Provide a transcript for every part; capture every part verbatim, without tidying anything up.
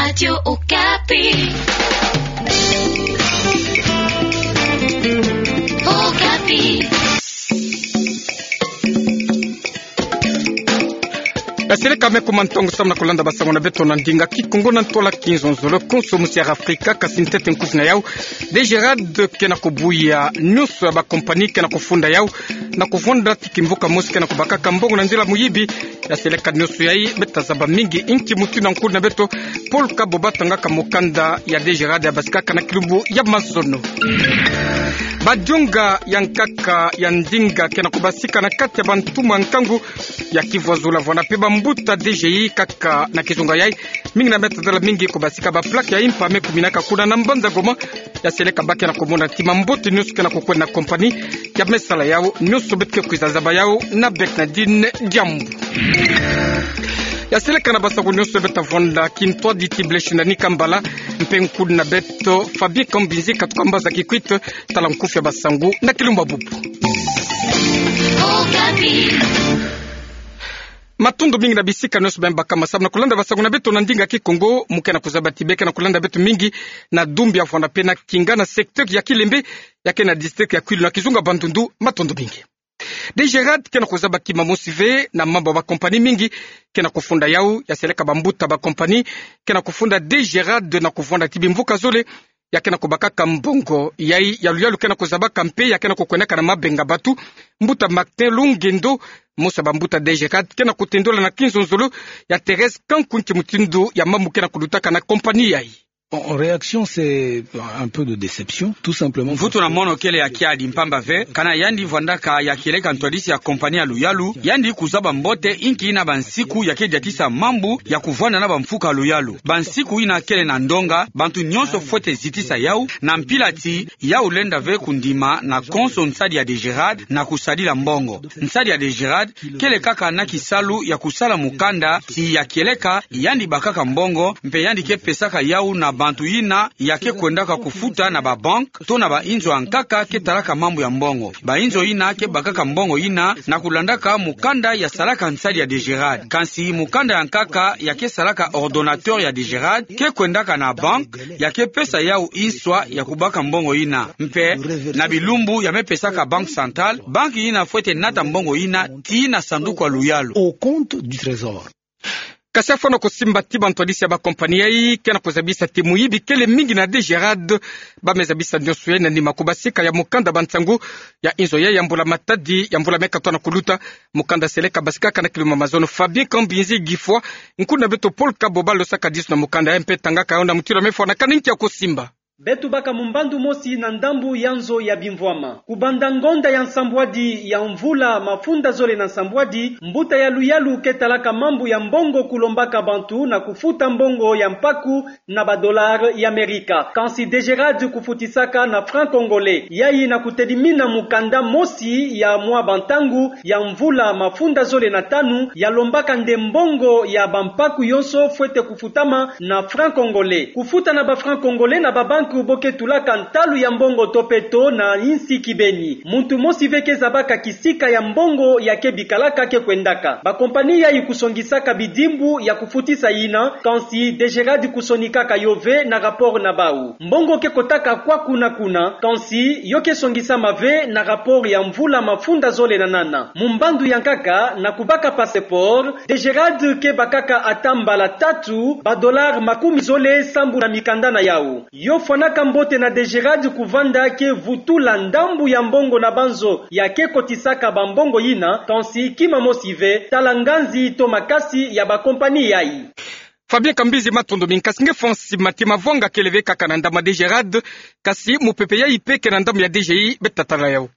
Radio Okapi. Okapi. Yaseleka me kuma ntongo samu na kulanda basango na beto na ndinga Kikongo na ntwala Kinzonzolo. Konso musi ya Afrika, kasi ntete nkufi na yau, DGRAD ke na kubuya nionso ya ba compagnie ke na kufunda yau na kuvwanda ti kimvuka mosi ke na kubakaka mbongo na nzila muyibi. Yaseleka nionso yai, beta zaba mingi inki mutindu na nkulu na beto Paul Kaboba tangaka mukanda ya DGRAD yabasikaka na kilumbu ya mazono. Badionga ya nkaka ya ndinga ke na kubasika na kati ya bantumwa nkangu ya Kivu Azul, vwanda mpe bambuta DGI kaka na kizunga yai. Mingi na meta dala mingi kubasika ba plaque ya impa me kuminaka kuna na mbanza Goma. Yaseleka ba ke na kumona ti mambote nionso ke na kukwenda na compagnie ya me sala yau, nionso beto ke kwiza zaba yau na Bernardine Diambu. Yaseleka na basango nionso beta vwanda kintwadi ti Blaise Ndani Kambala, mpe nkulu na beto Fabien Kambinzi katuka mbaza Kikwit. Tala nkufi ya basango na kilumbu bubu. Matondo mingi na bisika nionso beno baka masamu na kulanda basango na beto na ndinga Kikongo. Mu ke na kuzaba ti be ke na kulanda beto mingi na Dumbia, vwanda mpe na Kinga, na secteur ya Kilembe, ya ke na district ya Kwilu na kizunga Bandundu. Matondo mingi. DGRAD ke na kuzaba kima mosi ve na mambu ya ba compagnie mingi ke na kufunda yau. Yaseleka bambuta ba compagnie ke na kufunda DGRAD na kuvwanda ti bimvuka zole ya ke na kubakaka mbongo. Yai ya luyalu ke na kuzabaka mpe ya ke na kukwendaka na mabenga batu. Mbuta Martin Lungendo, mosi ya bambuta DGRAD, ke na kutendola na Kinzonzolo ya Thérèse Kanku nki mutindu ya mambu ke na kulutaka na compagnie yai. En, en réaction, c'est un peu de déception, tout simplement. Mvutu na mono kele ya kiadi mpamba ve, kana yandi vwandaka ya kieleka ntwadisi ya compagnie ya luyalu, yandi kuzaba mbote inki ina bansiku ya ke diatisa mambu ya kuvwanda na bamfuka luyalu. Bansiku ina kele na ndonga, bantu nionso fwete zitisa yau, na mpila ti yau lenda ve kundima na konso nsadi ya DGRAD na kusadila mbongo. Nsadi ya DGRAD kele kaka na kisalu ya kusala mukanda ti ya kieleka yandi bakaka mbongo, mpe yandi ke pesaka yau na bantu ina ya ke kwendaka kufuta na ba banque to na bainzo ya nkaka ke talaka mambu ya mbongo. Bainzo ina ke bakaka mbongo ina na kulandaka mukanda ya salaka nsadi ya DGRAD. Kansi mukanda ya nkaka ya ke salaka ordonnateur ya DGRAD ke kwendaka na banque ya ke pesa yau inswa ya kubaka mbongo ina. Mpe na bilumbu ya me pesaka Banque Centrale, banque ina fwete nata mbongo ina tii na sanduku ya luyalu, au compte du trésor. Kasi afwana kusimba ti bantwadisi ya ba compagnie yai ke na kuzabisa ti muyibi kele mingi na DGRAD. Ba me zabisa nionso yai na nima kubasika ya mukanda bansangu ya inzo yai ya mbula matadi ya mbula me katwa na kuluta. Mukanda yaseleka basikaka na kilumbu ya mazono. Fabien Kambinzi Gifwa, nkulu na beto Paul Kaboba losaka disu na mukanda yai mpe tangaka yau na mutindu ya me fwanakani nki ya kusimba. Beto baka mu mbandu mosi na ndambu ya nzo ya bimvwama. Kubanda ngonda ya nsambwadi ya mvula mafunda zole na nsambwadi, mbuta ya luyalu ke talaka mambu ya mbongo kulombaka bantu na kufuta mbongo ya mpaku na ba dollars ya Amerika. Kansi DGRAD kufutisaka na franc congolais. Yai na kutedimina mukanda mosi ya mwa bantangu ya mvula mafunda zole na tanu, ya lombaka nde mbongo ya bampaku yonso fwete kufutama na franc congolais. Kufuta na ba franc congolais na ba banque bo ke tulaka ntalu ya mbongo to mpe taux na insi kibeni. Muntu mosi ve ke zabaka kisika ya mbongo ya ke bikalaka ke kwendaka. Ba compagnie yai kusongisaka bidimbu ya kufutisa ina, kansi DGRAD kusonikaka yo ve na rapport na bau. Mbongo ke kotaka kwaku na kuna, kansi yo ke songisama ve na rapport ya mvula mafunda zole na nana. Mu mbandu ya nkaka, na kubaka passeport, DGRAD ke bakaka ata mbala tatu ba dollars makumi zole sambu na mikanda na yau. Yo fwanaka mbote na DGRAD kuvanda ke vutula ndambu ya mbongo na banzo ya ke kotisaka bambongo ina, kansi kima mosi ve, tala nganzi to makasi ya ba compagnie yai. Fabien Kambinzi, matondo mingi. Kasi nge fwa nsima ti mavwanga kele ve kaka na ndambu ya DGRAD, kasi mupepe yai mpe ke na ndambu ya DGI, beta tala yau.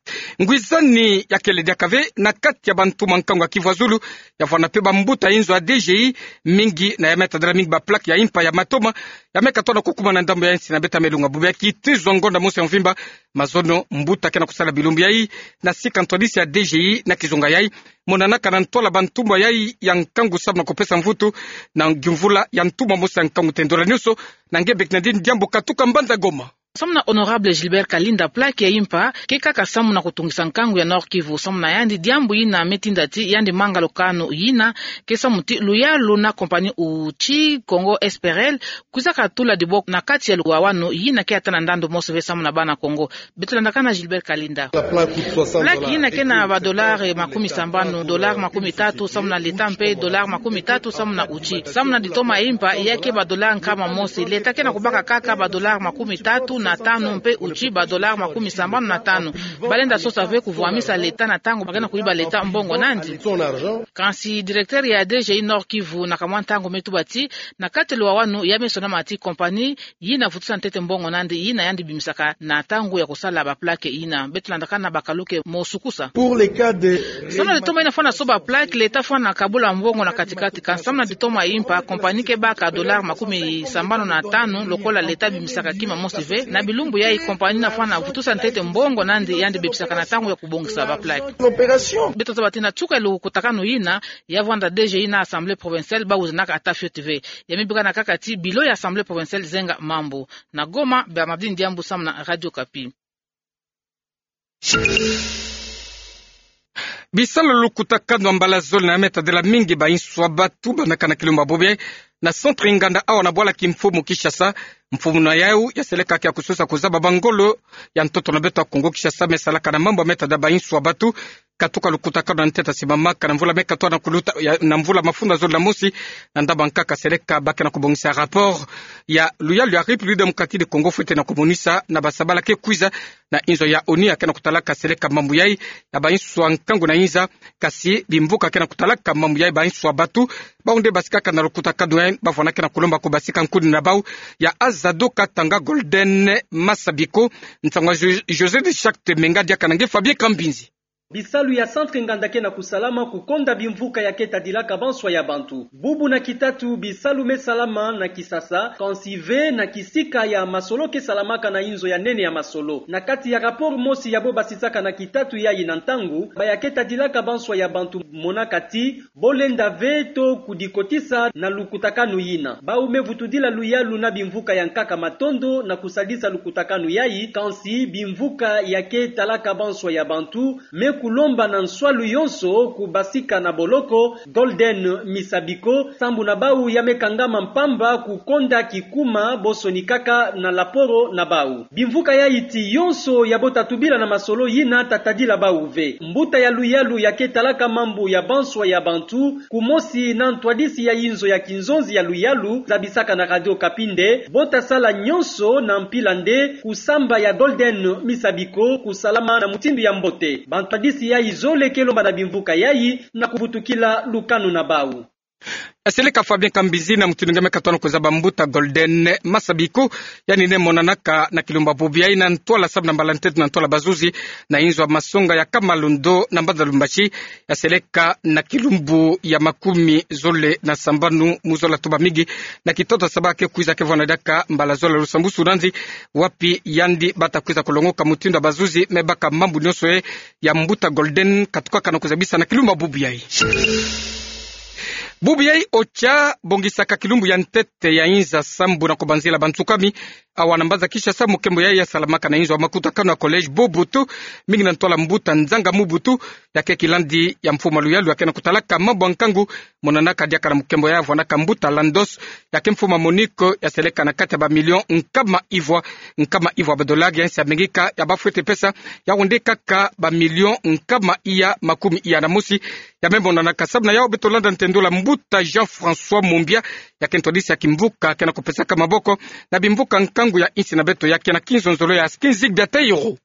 Ngwizani ya kele diaka ve na kati ya bantumwa nkangu ya Kivu ya Zulu, ya vwanda mpe bambuta inzo ya DGI, mingi na ya me tadala mingi ba plaque ya impa ya matoma, ya me katwa na kukuma na ndambu ya insi na beta me lunga bubu ya kiti zwa ngonda mosi ya mvimba, mazono mbuta ke na kusala bilumbu yai na sika ntwadisi ya DGI na kizunga yai, monanaka na ntwala bantumwa yai ya nkangu samu na kupesa mvutu na ngiumvula ya ntumwa mosi ya nkangu. Tendola nionso na nge Bernardine Diambu katuka mbanza Goma. Samu na Honorable Gilbert Kalinda, plaque ya impa ke kaka samu na kutungisa nkangu ya Nord-Kivu. Samu na yandi, diambu yina me tinda ti yandi manga lukanu yina ke samu ti luyalu na compagnie Outil Congo S P R L kwizaka tula diboko na kati ya luwawanu yina ke ata na ndandu mosi ve samu na bana Kongo. Beto landakana Gilbert Kalinda. Plaque yina ke na ba dollars makumi sambanu, dollars makumi tatu samu na l'État mpe dollars makumi tatu samu na Outil. Samu na ditoma ya impa, ya ke ba dollars nkama mosi. L'État ke na kubaka kaka ba dollars makumi tatu na tanu mpe Outil ba dollars makumi sambanu na tanu. Balenda sosa ve kuvwamisa l'État na ntangu ba ke na kuyiba l'État mbongo nandi. Kansi directeur ya D G I Nord-Kivu na kamwa ntangu me tuba ti na kati luwawanu ya me sonama ti compagnie yina vutusa ntete mbongo nandi yina yandi bimisaka na ntangu ya kusala ba plaque yina. Beto landakana Bakaluke Mosukusa. Samu na ditoma yina fwana soba plaque, l'État fwana kabula mbongo na kati-kati. Kansi samu na ditoma ya impa, compagnie ke baka dollars makumi sambanu na tanu lokola l'État bimisaka kima mosi ve. Na bilumbu yayi compagnie yina fwana vutusa ntete mbongo nandi yandi bebisaka na ntangu ya kubongisa ba plaque. Beto zaba ti na nsuka ya lukutakanu yina, ya vwanda D G I na Assemblée provinciale bawizanaka ata fioti ve. Ya me bikana kaka ti bureau ya Assemblée provinciale zenga mambu. Na Goma, Bernardine Diambu samu na Radio Okapi. Bisalu lukutakanu ya mbala zole na ya me tadila mingi bainsu ya batu bandakana kilumbu bubu yayi na centre nganda awa na bwala kimfumu Kinshasa. Mfumu na yau ya seleka ke ya kusosa kuzaba ba ngolo ya ntoto na beto ya Kongo Kinshasa me salaka na mambu ya me tadila bainsu ya batu. Katuka lukutakanu ya ntete ya simamaka na mvula me katoa na kuluta ya, na mvula mafunda zole na mosi, na ndambu ya nkaka seleka ba ke na kubongisa rapport ya luyalu ya République démocratique du Congo fwete na kumonisa na basabala ke kwiza na inzo ya ONU ya ke na kutalaka seleka mambu yayi ya bainsu ya nkangu na inza. Kasi bimvuka ke na kutalaka mambu yayi bainsu ya batu, bau nde basikaka na lukutakanu yayi, bavwanda ke na kulomba kubasika nkuni na bau. Ya Azado Katanga Golden Masabiko, nsangu ya Jo-, José de Charte Menga, diaka na nge Fabien Kambinzi. Bisalu ya centre nganda ke na kusalama kukonda bimvuka ya ke tadilaka banswa ya bantu. Bubu na kitatu bisalu me salama na Kinshasa, kansi ve na kisika ya masolo ke salamaka na inzo ya nene ya masolo. Na kati ya rapport mosi ya bo basisaka na kitatu yayi na ntangu, ba ya ke tadilaka banswa ya bantu monaka ti bo lenda ve to kudikotisa na lukutakanu yina. Bau me vutudila luyalu na bimvuka ya nkaka matondo na kusadisa lukutakanu yayi, kansi bimvuka ya ke talaka banswa ya bantu me kulomba na nswalu yonso kubasika na boloko Golden Misabiko, sambu na bau ya me kangama mpamba kukonda kikuma bo sonikaka na laporo na bau. Bimvuka yayi ti yonso ya bo ta tubila na masolo yina ta tadila bau ve. Mbuta ya luyalu ya ke talaka mambu ya banswa ya bantu, kumosi na ntwadisi ya inzo ya kinzonzi ya luyalu, zabisaka na Radio Okapi nde bo ta sala nyonso na mpila nde kusamba ya Golden Misabiko kusalama na mutindu ya mbote. Bantwadisi yayi zole ke lomba na bimvuka yayi na kuvutukila lukanu na bau. Seleka Fabien Kambinzi na mutindu nge me katoa na kuzaba mbuta Golden Masabiko, yandi nde monanaka na kilumbu bubu yayi na ntwala sabu na mbala ntete na ntwala bazuzi na inzo ya masonga ya Kamalondo na mbanza Lubumbashi, ya seleka na kilumbu ya makumi zole na sambanu mu zola tubamigi na kitoto saba ke kwiza ke vwanda diaka mbala zola lusambusu nandi, wapi yandi ba ta kwiza kulongoka mutindu ya bazuzi me baka mambu nyonso ye ya mbuta Golden katukaka na kuzabisa na kilumbu bubu yayi. Bubu yayi OCHA bongisaka kilumbu ya ntete ya inza sambu na kubanzila bansukami awa na mbanza Kinshasa. Mukembo yayi ya salamaka na inzo ya makutakanu ya Collège Mobutu, mingi na ntwala mbuta Nzanga Mobutu, ya ke kilandi ya mfumu ya luyalu ya ke na kutalaka mambu ya nkangu. Monanaka diaka na mukembo yayi ya vwandaka mbuta Landos, ya ke mfumu ya MONUC, ya seleka na kati ya ba millions nkama ivwa, nkama ivwa ba dollars ya insi ya Amerika, ya ba fwete pesa, yau nde kaka ba millions nkama iya makumi iya na mosi. Ya me monanaka sabu na yau beto landa ntendula mbuta Jean-François Mumbia, ya ke ntwadisi ya kimvuka ke na kupesaka maboko na bimvuka nkangu ya insi na beto, ya ke na kinzonzolo ya Skinzig Biateiro.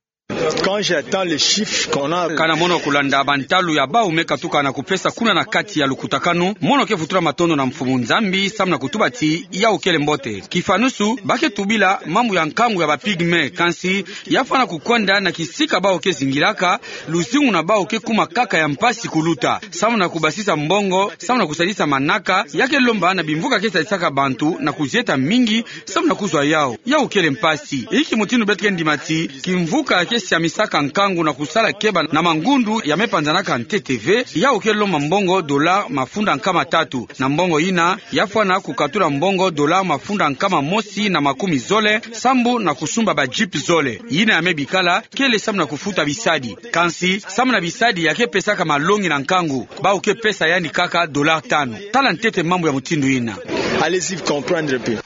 Quand j'entends les chiffres qu'on a... Kana mono kulanda bantalu ya bau me katuka na kupesa kuna na kati ya lukutakanu, mono ke vutula matondo na mfumu Nzambi samu na kutuba ti yau kele mbote. Kifanusu, ba ke tubila mambu ya nkangu ya ba pygmées, kansi ya fwana kukwenda na kisika bau ke zingilaka, luzingu na bau ke kuma kaka ya mpasi kuluta. Samu na kubasisa mbongo, samu na kusadisa manaka, ya ke lomba na bimvuka ke sadisaka bantu na kuzieta mingi, samu na kuzwa yau. Yau kele mpasi. Inki mutindu beto ke ndima ti kimvuka ke siamisa saka nkangu na kusala keba na mangundu ya me panzanaka ntete ve, yau ke lomba mbongo dollar mafunda nkama tatu. Na mbongo yina, ya fwana kukatula mbongo dollar mafunda nkama mosi na makumi zole, sambu na kusumba ba jeep zole. Yina ya me bikala, kele sambu na kufuta bisadi. Kansi, sambu na bisadi ya ke pesaka malongi na nkangu, bau ke pesa yandi kaka dollar tanu. Tala ntete mambu ya mutindu yina. Allez-y comprendre un peu.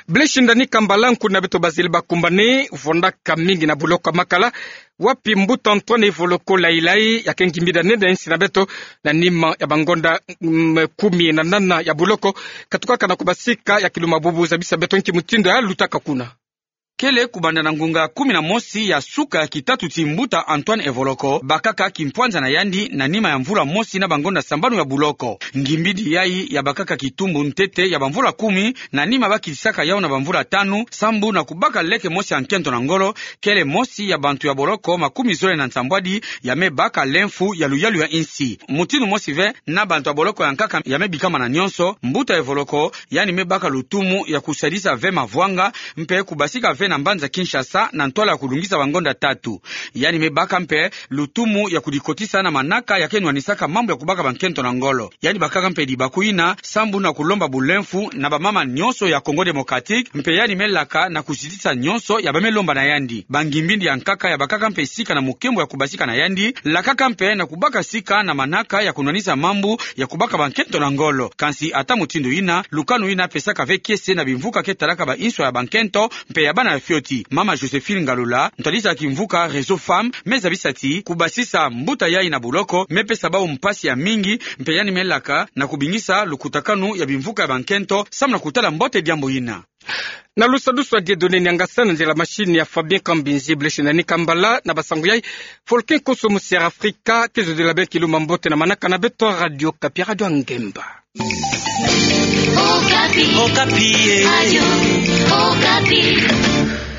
Blaise Ndani Kambala, nkuna beto bazali bakumbani, vondaka mingi na buloko ya Makala, wapi mbuta Antoine Evoloko Layi Layi, ya ke ngimbidi ya nene ya insi na beto, na nima ya bangonda, mm, kumi na nana ya buloko, katukaka na kubasika ya kiluma bubu, zabisa beto nki mutindu ya lutaka kuna. Kele kubanda na ngunga kumi na mosi ya suka ya kitatu ti mbuta Antoine Evoloko bakaka kimpwanza na yandi na nima ya mvula mosi na bangonda sambanu ya buloko. Ngimbidi yayi ya bakaka kitumbu ntete ya bamvula kumi, na nima bakitisaka yau na bamvula tanu, sambu na kubaka leke mosi ya nkento na ngolo, kele mosi ya bantu ya boloko makumi zole na nsambwadi ya me baka lemfu ya luyalu ya insi. Mutindu mosi ve na bantu ya boloko ya nkaka ya me bikama na nyonso, mbuta Evoloko yandi me baka lutumu ya kusadisa ve mavwanga, mpe kubasika ve na mbanza Kinshasa na ntwala ya kulungisa bangonda tatu. Yandi me baka mpe lutumu ya kudikotisa na manaka ya ke nwanisaka mambu ya kubaka bankento na ngolo. Yandi bakaka mpe dibaku yina sambu na kulomba bulemfu na bamama nyonso ya Congo Démocratique, mpe yandi me laka na kuzitisa nyonso ya ba me lomba na yandi. Bangimbidi ya nkaka ya bakaka mpe sika na mukembo ya kubasika na yandi, lakaka mpe na kubaka sika na manaka ya kunwanisa mambu ya kubaka bankento na ngolo. Kansi ata mutindu yina, lukanu yina pesaka ve kiese na bimvuka ke talaka ba inswa ya bankento mpe ya bana ya fioti. Mama Joséphine Ngalula, ntwadisi ya kimvuka Réseau Femmes, me zabisa ti kubasisa mbuta yayi na buloko me pesa bau mpasi ya mingi, mpe yandi me laka na kubingisa lukutakanu ya bimvuka ya bankento, sambu na kutala mbote diambu yina. Na lusadusu ya Dieudonné Niangasa, na nzila machine ya Fabien Kambinzi, Blaise Ndani Kambala, na basangu yayi, Volcan Kosso, Mister Africa, ke zodila bê kiluma mbote na manaka na beto Radio Okapi, Radio ya Ngemba. Okapi. Okapi, eh. Radio Okapi.